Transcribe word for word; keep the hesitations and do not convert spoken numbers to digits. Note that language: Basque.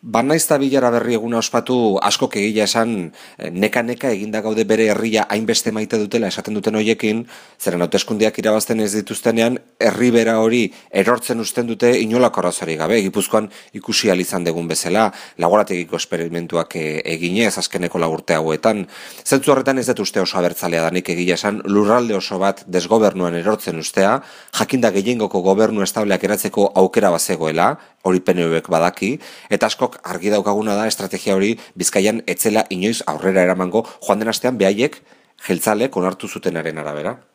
Banaizta bilara berri eguna ospatu askok egia esan neka-neka eginda gaude bere herria hainbeste maite dutela esaten duten hoiekin, zeren hauteskundeak irabazten ez dituztenean, herri bera hori erortzen usten dute inolako arazorik gabe. Gipuzkoan ikusi ahal izan degun bezala, laborategiko esperimentuak eginez azkeneko lagurte hauetan. Zentzu horretan ez dut uste oso abertzalea danik egia esan lurralde oso bat desgobernuan erortzen ustea, jakinda gehiengoko gobernu estableak eratzeko aukera bazegoela, hori P N Vek badaki, eta askok argi daukaguna da estrategia hori Bizkaian etzela inoiz aurrera eramango joan den astean behaiek jeltzalek onartu zutenaren arabera.